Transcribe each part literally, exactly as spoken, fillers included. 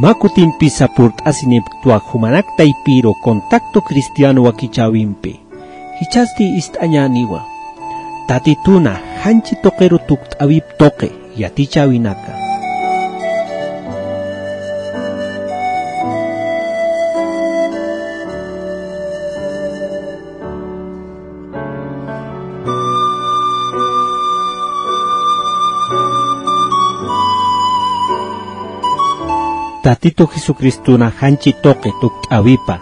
Mä kutimpisa purt'asinipktwa jumanak taypiru Contacto Cristiano wakichäwimpi. Jichhasti ist'añäniwa Tatituna janchi tuqiru tukt'äwip tuqi yatichäwinaka. Tatitu Jesucristuna janchi tuqi tukt'äwipa.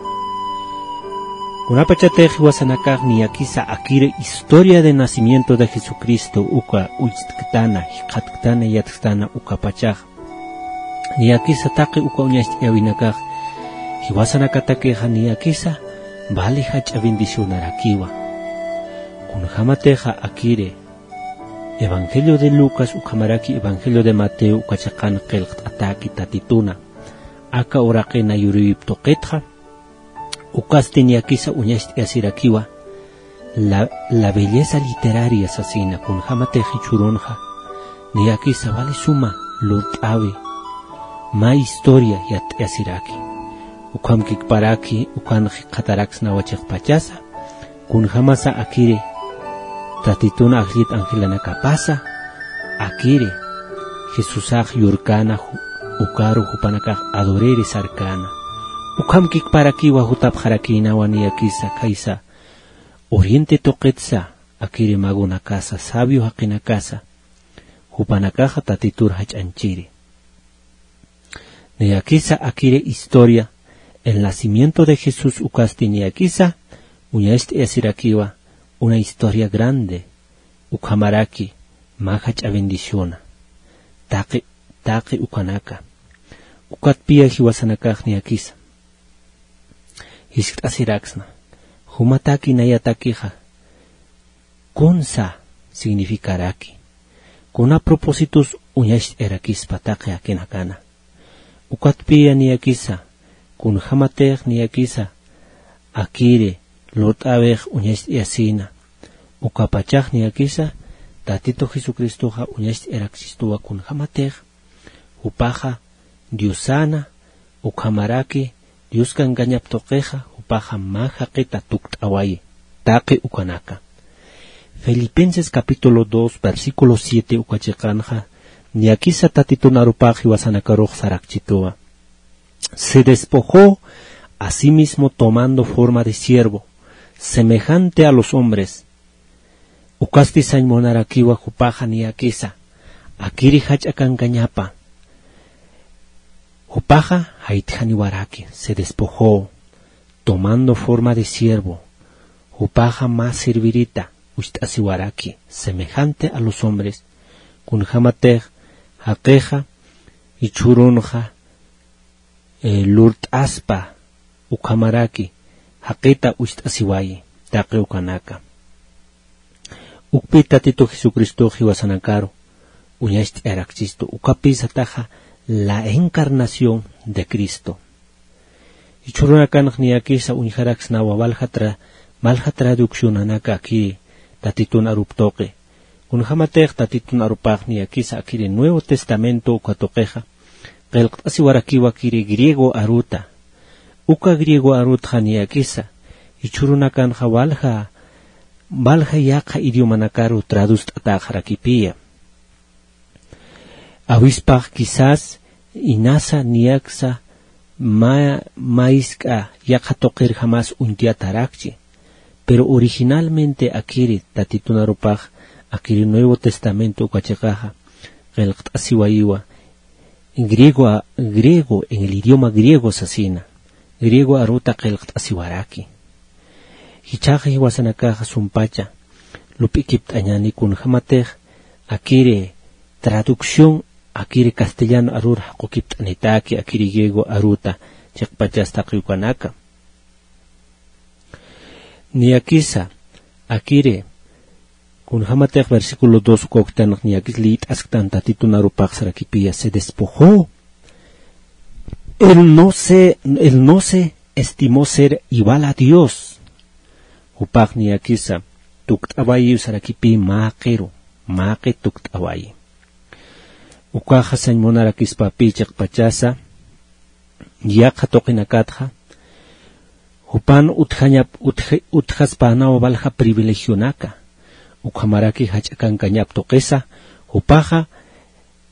Kunapachatix jiwasanakax niyakisa akiri historia de nacimiento de Jesucristo uka ucht'ktana, jikxatktana, yatktana ukapachax. Niyakisa taqi uka uñacht'ayäwinakax jiwasanakatakixa niyakisa vali jach'a bendicionarakiwa. Kunjämatixa akiri Evangelio de Lucas ukhamaraki Evangelio de Mateo uka chiqan qillqt'atäki Tatituna aka uraqi nayurïwip tuqitxa, ukasti niyakisa uñacht'ayasirakiwa la, la belleza literaria sasina, kunjämatix jichhürunxa niyakisa vali suma lurt'äwi mä historia yatt'ayasiraki. Ukhamkikparaki ukan jikxataraksnawa chiqpachasa, kunjämasa akiri Tatitun ajllit angelanakapasa, akiri Jesusax yurkäna ju-, ukaru jupanakax adoriri sarkäna. Ukhamkikparakiwa jutapxarakïnawa niyakisa khaysa Oriente tuqitsa, akiri magonakasa, sabio jaqinakasa, jupanakaxa Tatitur jach'anchiri. Niyakisa akiri historia, el nacimiento de Jesús ukasti niyakisa uñacht'ayasirakiwa una historia grande, ukhamaraki mä jach'a bendiciona. Taqi, taqi ukanaka. Ukatpiya jiwasanakax niyakisa jiskt'asiraksna. Jumataki nayatakixa kunsa significaraki. Kuna propósitos uñacht'ayarakispa taqi jakinakana. Ukatpiya niyakisa, kunjämatix niyakisa, akiri lurt'äwix uñacht'ayasina. Ukapachax niyakisa, Tatitu Jesucristoxa uñacht'ayaraksistuwa kunjämatix, jupaxa Diosana, ukhamaraki Dios kankañap tuqixa, jupaxa mä jaqita tukt'awayi, taqi ukanaka. Filipenses capítulo dos, versículo siete uka chiqanxa, niyakisa Tatitun arupax jiwasanakarux sarakchituwa. Se despojó a sí mismo tomando forma de siervo, semejante a los hombres. Ukasti sañ munarakiwa jupaxa niyakisa, akiri jach'a kankañapa. Jupaxa jaytjaniwaraki, se despojó, tomando forma de siervo. Jupaxa mä sirvirita ucht'asiwaraki, semejante a los hombres. Kunjämatix jaqixa, jichhürunxa, eh, lurt'aspa, ukhamaraki jaqita ucht'asiwayi, taqi ukanaka. Ukpi Tatitu Jesucristox jiwasanakaru uñacht'ayarakchistu, ukapï sataxa la encarnación de Cristo. Jichhürunakanx niyakisa uñjaraksnawa walja tra-, walja traduccionanaka akiri Tatitun arup tuqi. Kunjämatix Tatitun arupax niyakisa akiri Nuevo Testamento uka tuqixa, qillqt'asiwarakiwa akiri griego aruta. Uka griego arutxa niyakisa, jichhürunakanxa walja, walja yaqha idiomanakaru traduct'atäxarakipiya. Awispax quizás inasa niyaksa mä, mä jisk'a yaqha tuqirjamas uñt'ayatarakchi. Pero originalmente akiri Tatitun arupax, akiri Nuevo Testamento uka chiqaxa, qillqt'asiwayiwa, griego a-, griego, en el idioma griego sasina, griego aruta qillqt'asiwaraki. Jichhaxa jiwasanakaxa sumpacha lup'ikipt'añäni kunjämatix akiri traducción, akiri castellano arur jaqukipt'anitaki, akiri griego aruta chiqpachas taqi ukanaka. Niyakisa, akiri, kunjämatix versículo dos uka uktanx niyakis liyt'asktan Tatitun arupax sarakipiya, se despojó. Él no se, él no se estimó ser igual a Dios. Jupax niyakisa, tukt'awayi sarakipi mä jaqiru, mä jaqi tukt'awayi. Ukaxa sañ munarakispapï chiqpachasa, yaqha tuqinakatxa, jupan utjañap, utj-, utjaspänawa walja privilegionaka, ukhamaraki jach'a kankañap tuqisa, jupaxa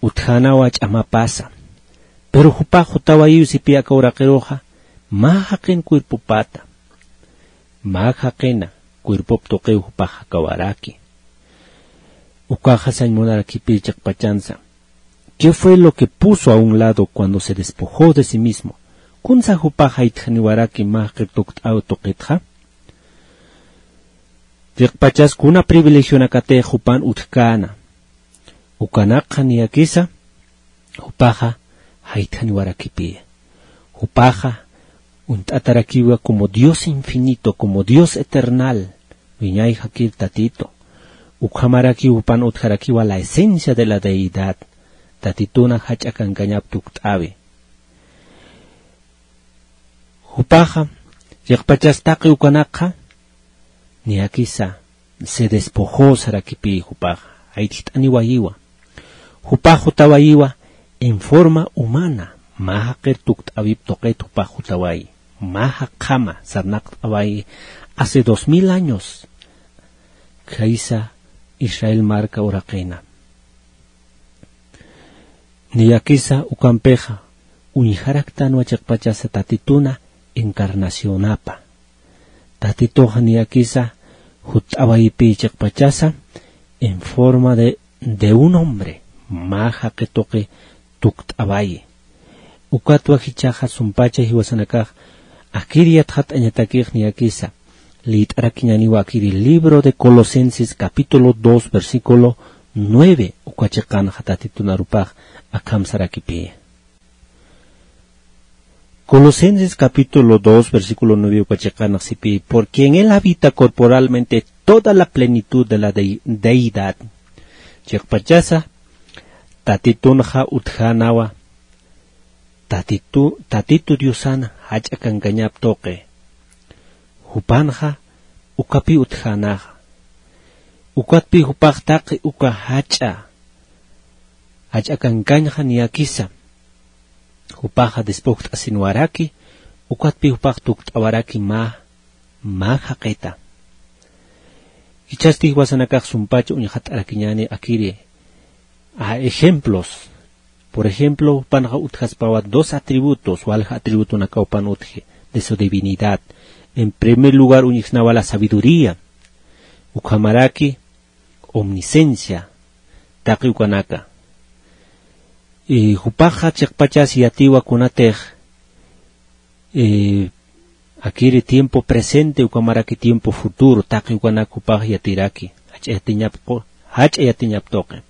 utjänawa ch'amapasa. Pero jupax jutawayiw sipï aka uraqiruxa, mä jaqin cuerpopata, mä jaqina cuerpop tuqiw jupax jakawaraki. Ukaxa sañ munarakipï chiqpachansa. ¿Qué fue lo que puso a un lado cuando se despojó de sí mismo? ¿Kunsa jupax jaytjaniwaraki mä jaqir tukt'äw tuqitxa? Chiqpachas kuna privilegionakatix jupan utjkäna. Ukanakxa niyakisa, jupaxa jaytjaniwarakipï. Jupaxa uñt'atarakiwa como Dios infinito, como Dios eternal, wiñay jakir Tatitu. Ukhamarakiw jupan utjarakiwa la esencia de la deidad, Tatituna jach'a kankañap tukt'äwi. Jupaxa, chiqpachas taqi ukanakxa, niyakisa, se despojó sarakipï jupaxa, jaytjt'aniwayiwa. Jupax jutawayiwa en forma humana, mä jaqir tukt'äwip tuqit jupax jutawayi, mä jaqjama sarnaqt'awayi hace dos mil años, khaysa Israel marka uraqina. Niyakisa ukampixa, uñjaraktanwa chiqpachasa Tatituna encarnacionapa. Tatituxa niyakisa jutt'awayipï chiqpachasa en forma de, de un hombre, mä jaqi tuqi tukt'awayi. Ukatwa jichhaxa sumpacha jiwasanakax, akir yatxat'añatakix niyakisa, liyt'arakiñäniwa akiri libro de Colosenses capítulo dos versículo nueve, uka chiqanxa Tatitun arupax akham sarakipï. Colosenses capítulo dos versículo nueve uka chiqanx sipï, porque en él habita corporalmente toda la plenitud de la dei-, deidad. Chiqpachasa, Tatitunxa utjänawa, Tatitu, Tatitu Diosan jach'a kankañap tuqi. Jupanxa ukapï utjänaxa. Ukatpï jupax taqi uka jach'a, jach'a kankañxa niyakisa. Jupaxa despojt'asinwaraki, ukatpï jupax tukt'awaraki mä, mä jaqita. Jichhasti jiwasanakax sumpacha uñxat'arakiñäni akiri, a ejemplos. Por ejemplo, jupanxa utjaspawa dos atributos, walja atributonakaw jupan utji, de su divinidad. En primer lugar, uñjsnawa la sabiduría, ukhamaraki omnisciencia, taqi ukanaka. Y jupaxa chiqpachas yatiwa kunatix, eh, akiri tiempo presente, ukhamaraki tiempo futuro, taqi ukanak jupax yatiraki, jach'a yatiñap qu-, jach'a yatiñap tuqi.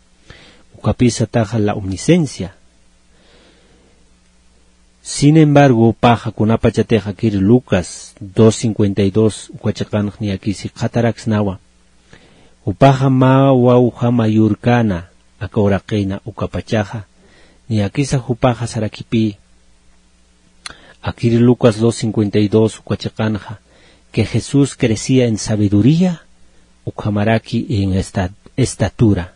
Ukapï sataxa la omnisciencia. Sin embargo, jupaxa kunapachatix akiri Lucas dos cincuenta y dos, uka chiqanx niyakisa jikxataraksnawa. Jupaxa mä wawjama yurkäna, aka uraqina ukapachaxa, niyakisa jupaxa sarakipï, akiri Lucas dos cincuenta y dos uka chiqanxa, que Jesús crecía en sabiduría, ukhamaraki en esta-, estatura.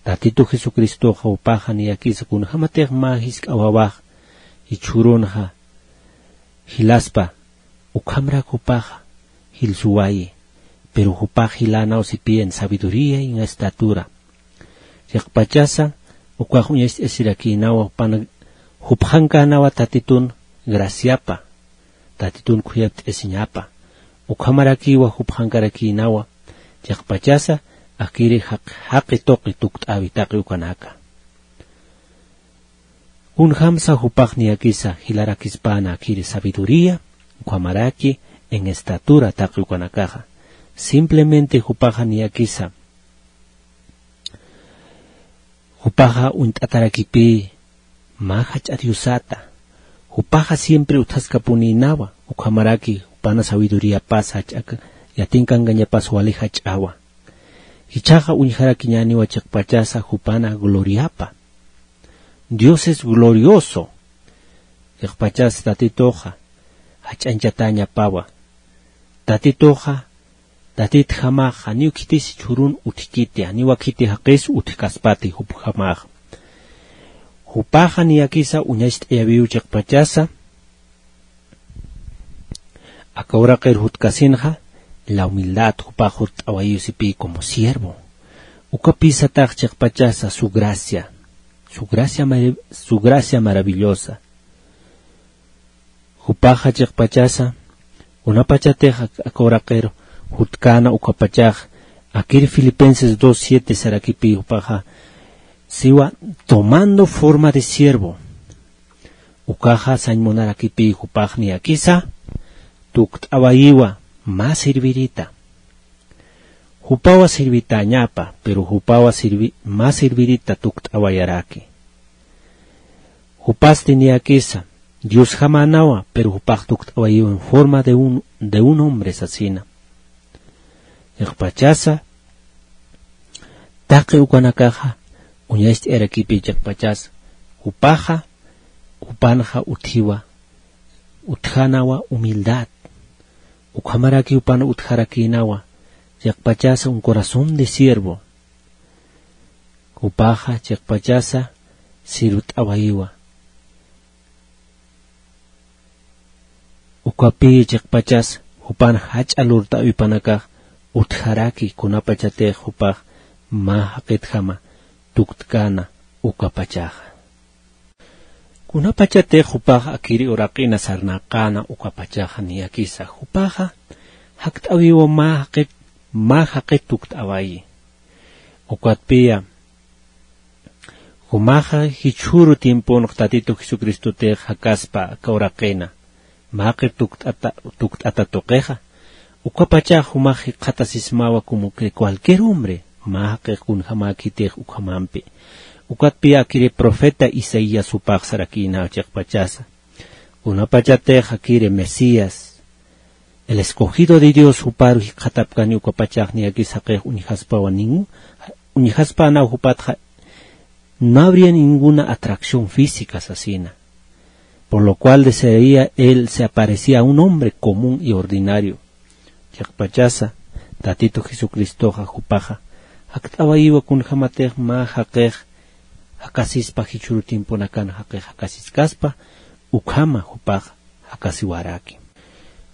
Tatitu Jesucristoxa jupaxa niyakisa kunjämatix mä jisk'a wawax jichhürunxa jilaspa, ukhamrak jupaxa jilsuwayi, pero jupax jilanaw sipï en sabiduría y en estatura. Chiqpachasa, ukax uñacht'asirakïnawa, jupan jupxankänawa Tatitun graciapa, Tatitun khuyapt'asiñapa. Ukhamarakiwa jupxankarakïnawa, chiqpachasa, akiri jaq-, jaqi tuqi tukt'äwi taqi ukanaka. Kunjamsa jupax niyakisa jilarakispäna akiri sabiduría, ukhamaraki en estatura taqi ukanakaxa. Simplemente jupaxa niyakisa, jupaxa uñt'atarakipï mä jach'a Diosata. Jupaxa siempre utjaskapunïnawa, ukhamaraki jupana sabiduríapas jach'a k-, yatinkankañapas wali jach'awa. Jichhaxa uñjarakiñäniwa chiqpachasa jupana gloriapa. Dios es glorioso. Chiqpachas Tatituxa jach'añchatäñapawa. Tatituxa, Tatitjamaxa, janiw khitis jichhürun utjkiti, janiwa khiti jaqis utjkaspati jupjamaxa. Jupaxa niyakisa uñacht'ayäwiw chiqpachasa, Aka uraqir jutkasinxa, la humildad, jupax jurt'awayiw sipï como siervo. Ukapï satax chiqpachasa su gracia, su gracia marav-, su gracia maravillosa. Jupaxa chiqpachasa, kunapachatix ak-, aka uraqir jutkäna ukapachax, akir Filipenses dos siete sarakipï jupaxa, siwa tomando forma de siervo. Ukaxa sañ munarakipï jupax niyakisa, tukt'awayiwa mä sirvirita. Jupawa sirvitäñapa, pero jupawa sirvi-, mä sirvirita tukt'awayaraki. Jupasti niyakisa, Diosjamänawa, pero jupax tukt'awayiwa en forma de un, de un hombre sasina. Chiqpachasa, taqi ukanakaxa, uñacht'ayarakipï chiqpachasa, jupaxa, jupanxa utjiwa, utjänawa humildad. Ukhamaraki jupan utjarakïnawa, chiqpachasa un corazón de siervo. Jupaxa, chiqpachasa, sirvt'awayiwa. Ukapï chiqpachas, jupan jach'a lurt'awipanakax utjaraki kunapachatix jupax mä jaqitjama tuktkäna ukapachaxa. Kunapachatix jupax akiri uraqina sarnaqäna ukapachaxa niyakisa, jupaxa jakt'awiwa mä jaqit, mä jaqit tukt'awayi. Ukatpï, jumaxa jichhüru tiemponx Tatitu Jesucristotix jakaspa aka uraqina, mä jaqir tukt'ata, tukt'ata tuqixa, ukapachax jumax jikxatasismawa como que cualquier hombre, mä jaqix kunjamäkitix ukhamampi. Ukatpï akiri profeta Isaías jupax sarakïna chiqpachasa. Kunapachatix akiri Mesías, el escogido de Dios, jupar jikxatapkani ukapachax niyakis jaqix uñjaspawa nin-, uñjaspänaw jupatxa no habría ninguna atracción física sasina. Por lo cual desearía él se aparecía a un hombre común y ordinario. Chiqpachasa, Tatitu Jesucristoxa jupaxa, jakt'awayiwa kunjamatix mä jaqix jakasispa jichhüru tiemponakan jaqix jakasiskaspa, ukhama jupax jakasiwaraki.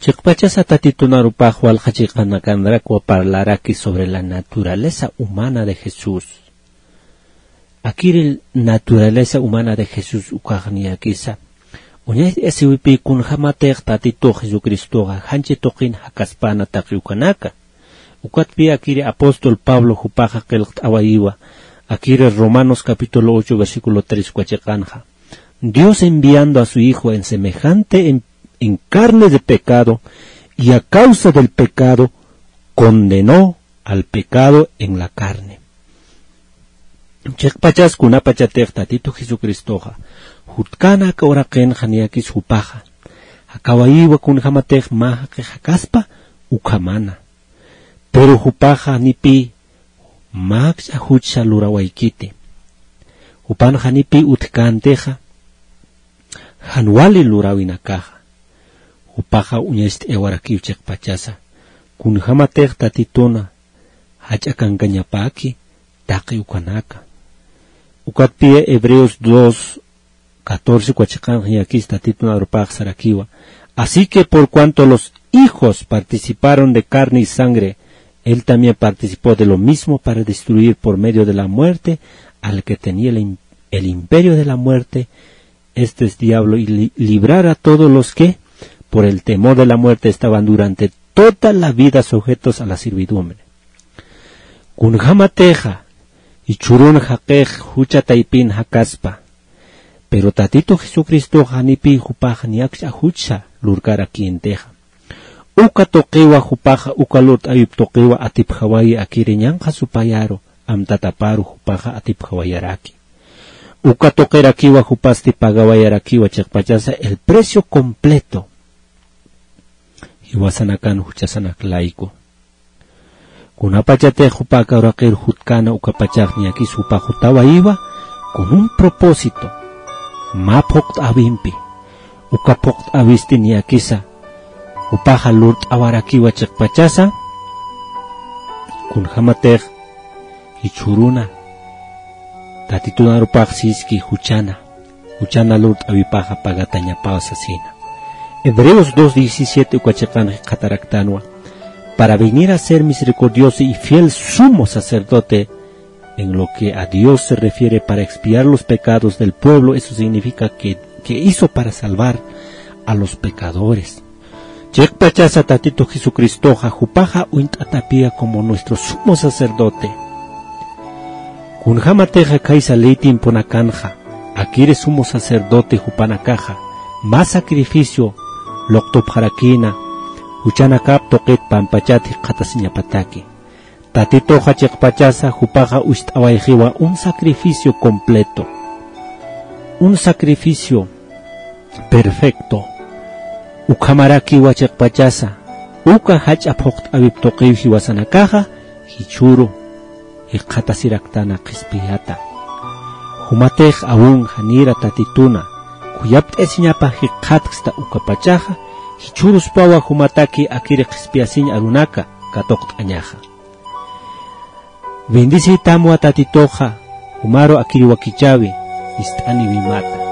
Chiqpachasa Tatitun arupax walja chiqanakanrakwa parlaraki sobre la naturaleza humana de Jesús. Akiri naturaleza humana de Jesús ukax niyakisa, uñacht'asiwipï kunjamatix Tatitux Jesucristoxa janchi tuqin jakaspäna taqi ukanaka. Ukatpï akiri apóstol Pablo jupaxa qillqt'awayiwa, akiri Romanos capítulo ocho versículo tres uka chiqanxa. Dios enviando a su Hijo en semejante en, en carne de pecado, y a causa del pecado condenó al pecado en la carne. Chiqpachas kunapachatix Tatitu Jesucristoxa jutkäna aka uraqinxa niyakis jupaxa jakawayiwa kunjamatix mä jaqix jakaspa ukhamana. Pero jupaxa janipï mä akch'a juchsa lurawaykiti. Jupan janipï utjkäntixa jan wali luräwinakaxa. Jupaxa uñacht'ayawarakiw chiqpachasa, kunjamatix Tatituna jach'a kankañapäki taqi ukanaka. Ukatpï Hebreos dos catorce uka chiqanxa niyakis Tatitun arupax sarakiwa. Así que por cuanto los hijos participaron de carne y sangre, él también participó de lo mismo para destruir por medio de la muerte al que tenía el im-, el imperio de la muerte, esto es diablo, y li-, librar a todos los que, por el temor de la muerte, estaban durante toda la vida sujetos a la servidumbre. Kunjamatixa, jichhürun jaqix jucha taypin jakaspa. Pero Tatitu Jesucristoxa janipï jupax ni akch'a juchsa lurkarakïntixa. Uka tuqiwa jupaxa, uka lurt'awip tuqiwa atipjawayi akiri ñanqha supayaru, amtataparu jupaxa atipjawayaraki. Uka tuqirakiwa jupasti pagawayarakiwa chiqpachasa el precio completo. Jiwasanakan juchasanak layku. Kunapachatix jupa aka uraqir jutkäna ukapachax niyakis jupa jutawayiwa con un propósito. Mä phuqt'äwimpi. Uka phuqt'äwisti niyakisa jupaxa lurt'awarakiwa chiqpachasa. Kunjamatix jichhüruna Tatitun arupax siski juchana, juchana lurt'awipaxa pagatañapaw sasina. Hebreos dos diecisiete uka chiqan jikxataraktanwa: "Para venir a ser misericordioso y fiel sumo sacerdote en lo que a Dios se refiere para expiar los pecados del pueblo, eso significa que, que hizo para salvar a los pecadores". Chiqpachasa Tatitu Jesucristoxa jupaxa uñt'atapiya como nuestro sumo sacerdote. Kunjamatixa khaysa ley tiemponakanxa, akiri sumo sacerdote jupanakaxa mä sacrificio luqtupxarakïna, juchanakap tuqit pampachat jikxatasiñapataki. Tatituxa chiqpachasa jupaxa ucht'awayxiwa un sacrificio completo, un sacrificio perfecto. Ukhamarakiwa chiqpachasa uka jach'a phuqt'awip tuqiw jiwasanakaxa jichhüru jikxatasiraktana qhispiyata. Jumatix awun janira Tatituna khuyapt'ayasiñapa jikxatksta ukapachaxa, jichhüruspawa jumataki akiri qhispiyasiñ arunaka katuqt'añaxa. Bendeciytamwa Tatituxa, jumaru akiri wakichäwi, ist'aniwimata.